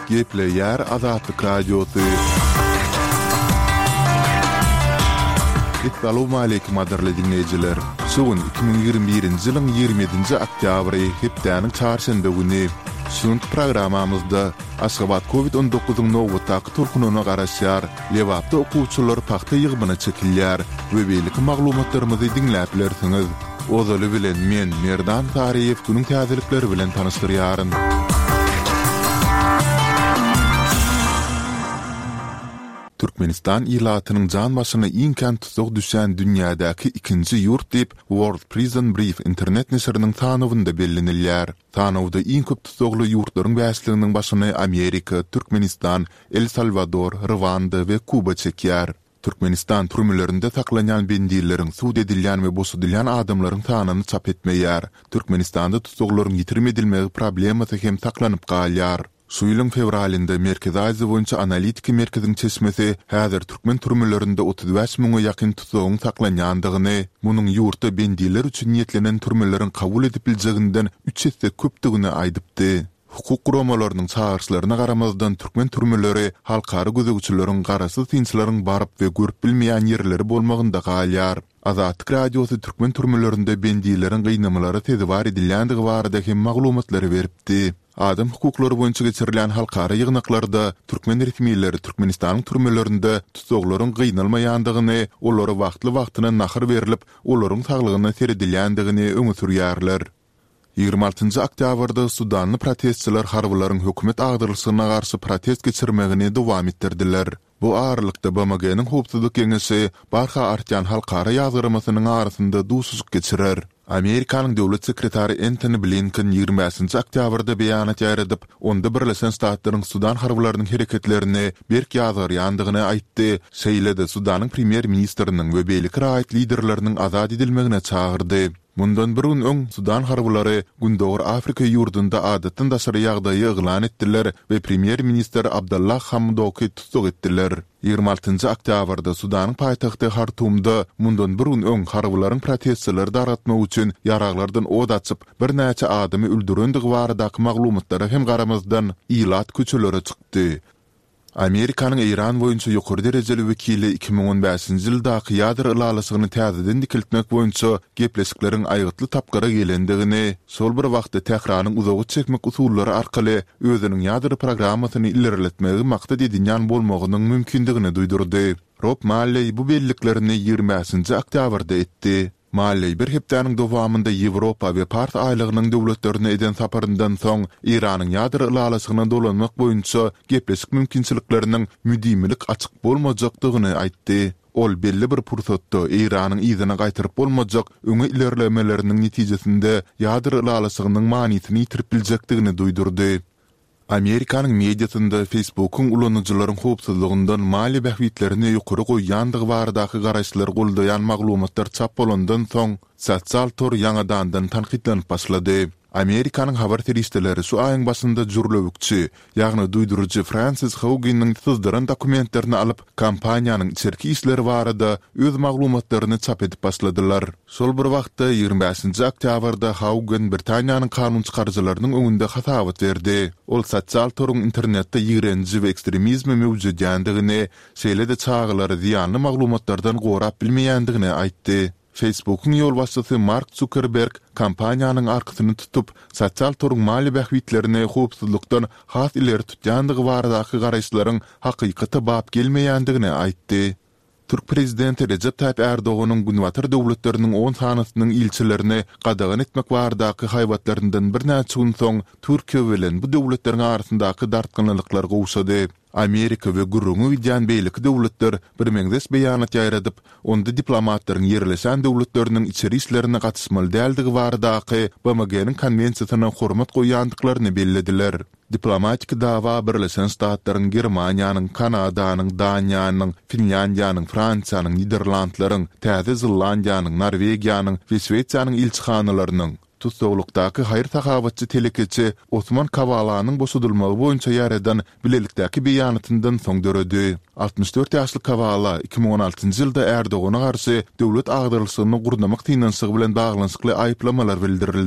Gepleýär Azatlyk Radiosy. Essalawmaleýkim gadyrly diňleýjiler! Şu gün 2021-nji ýylyň 27-nji oktýabry, hepdäniň çarşenbe güni. Şu günki programmamyzda Aşgabat Covid on dokuzyň nobatdaky tolkunyna garaşýar, Lebapda okuwçylar pagta ýygymyna çekilýär we beýleki maglumatlarymyzy diňläp bilersiňiz. Ozaly bilen men, Merdan Saryýew günüň täzelikleri bilen tanyşdyrýaryn. Türkmenistan ilatynyň jan başyna iň kän tussag düşýän dünýädäki ikinji ýurt diýip, World Prison Brief internet neşiriniň sanawynda bellenilýär. Sanawda iň köp tussagly ýurtlaryň bäşliginiň başyny Amerika, Türkmenistan, El Salwador, Rwanda we Kuba çekýär. Türkmenistan türmelerinde saklanýan bendileriň, sud edilýän we boşadylýan adamlaryň sanyny çap etmeýär. Türkmenistanda tussaglaryň ýitirim edilmegi problemasy hem saklanyp galýar. Şu ýylyň fewralynda Merkezi Aziýa boýunça analitiki merkeziň çeşmesi häzir türkmen türmelerinde 35 müňe ýakyn tussagyň saklanýandygyny, munuň ýurtda bendiler üçin niýetlenen türmeleriň kabul edip biljeginden üç esse köpdügini aýdypdy. Hukuk guramalarynyň çagyryşlaryna garamazdan türkmen türmeleri halkara gözegçileriň, garaşsyz synçylaryň baryp we görüp bilmeýän ýerleri bolmagynda galýar. Azatlyk Radiosy türkmen türmelerinde bendileriň gynamalara sezewar edilýändigi barada hem maglumatlary beripdi. Adam hukuklary boýunça geçirilýän halkara ýygnaklarda türkmen resmileri Türkmenistanyň türmelerinde tussaglaryň gynalmaýandygyny, olara wagtly-wagtyna nahar berlip, olaryň saglygyna seredilýändigini öňe sürýärler. 26 njy oktýabrda sudanly protestçiler harbylaryň hökümet agdarylyşygyna garşy protest geçirmegini dowam etdirdiler. Bu aralykda BMG-niň Howpsuzlyk Geňeşi barha artýan halkara ýazgyrmasynyň arasynda duşuşyk geçirer. Amerikanyň döwlet sekretary Entoni Blinken 25-nji oktýabrda beýanat ýaýradyp, onda Birleşen Ştatlaryň sudan harbylarynyň hereketlerini berk ýazgarýandygyny aýtdy, şeýle-de Sudanyň premýer-ministriniň we beýleki raýat liderleriniň azat edilmegine çagyrdy. Mundan bir gün öň sudan harbylary Gündogar Afrika ýurdunda adatdan daşary ýagdaýy yglan etdiler we premýer-ministr Abdallah Hamdoky tussag etdiler. 26 njy oktýabrda Sudanyň paýtagty Hartumda mundan bir gün öň harbylaryň protestçileri dargatmak üçin ýaraglardan ot açyp, birnäçe adamy öldürendigi baradaky maglumatlara hem garamazdan, ilat köçelere çykdy. Amerikanyň Eýran boýunça ýokary derejeli wekili 2015-nji ýyldaky ýadro ylalaşygyny täzeden dikeltmek boýunça gepleşikleriň aýgytly tapgyra gelendigini, şol bir wagtda Tähranyň uzaga çekmek usullary arkaly özüniň ýadro programmasyny ilerletmegi maksat edinýän bolmagynyň mümkindigini duýdurdy. Rob Malleý bu belliklerini 25-nji oktýabrda etdi. Malleý bir hepdäniň dowamynda Ýewropa we Pars aýlagynyň döwletlerine eden saparyndan soň, Eýranyň ýadro ylalaşygyna dolanmak boýunça gepleşik mümkinçilikleriniň müdimilik açyk bolmajakdygyny aýtdy. Ol belli bir pursatda Eýranyň yzyna gaýtaryp bolmajak öňe ilerlemeleriniň netijesinde ýadro ylalaşygynyň manysyny ýitirip biljekdigini duýdurdy. Amerikanyň mediasynda Facebook-yň ulanyjylaryň howpsuzlygyndan maliýe bähbitlerini ýokary goýýandygy baradaky garaýyşlary goldaýan maglumatlar çap bolandan soň, sosial tor ýaňadandan tankytlanyp başlady. Amerikanyň habar serişdeleri şu aýyň başynda jürlewükçi, ýagny duýduryjy Fransis Haugenniň syzdyran dokumentlerini alyp, kompaniýanyň içerki işleri barada öz maglumatlaryny çap edip başladylar. Şol bir wagtda, 25-nji oktýabrda Haugen Britaniýanyň kanunçykaryjylarynyň öňünde hasabat berdi. Ol sosial toruň internetde ýigrenji we ekstremizmi möwjedýändigini, şeýle-de çagalary zyýanly maglumatlardan gorap bilmeýändigini aýtdy. Facebook-yň ýolbaşçysy Mark Zukerberg kompaniýanyň arkasyny tutup, sosial toruň maliýe bähbitlerini howpsuzlykdan has ileri tutýandygy baradaky garaýyşlaryň hakykata bap gelmeýändigini aýtdy. Türk prezidenti Rejep Taýyp Ärdoganyň Günbatar döwletleriniň on sanysynyň ilçilerini gadagan etmek baradaky haýbatlaryndan birnäçe gün soň Türkiýe bilen bu döwletleriň arasyndaky dartgynlylyklar gowşady. Amerika we gürrüňi gidýän beýleki döwletler birmeňzeş beýanat ýaýradyp, onda diplomatlaryň ýerleşen döwletleriniň içeri işlerine gatyşmaly däldigi baradaky BMG-niň konwensiýasyna hormat goýýandyklaryny bellediler. Diplomatik dawa Birleşen Ştatlaryň, Germaniýanyň, Kanadanyň, Daniýanyň, Finlýandiýanyň, Fransiýanyň, Niderlandlaryň, Täze Zelandiýanyň, Norwegiýanyň we Şwesiýanyň ilçihanalarynyň, tussaglykdaky haýyr-sahawatçy telekeçi Osman Kawalanyň boşadylmagy boýunça ýaýradan bilelikdäki beýanatyndan soň döredi. 64 ýaşly Kawala 2016-njy ýylda Erdogana garşy döwlet agdarylyşygyny gurnamak synanyşygy bilen baglanyşykly aýyplamalar bildirildi.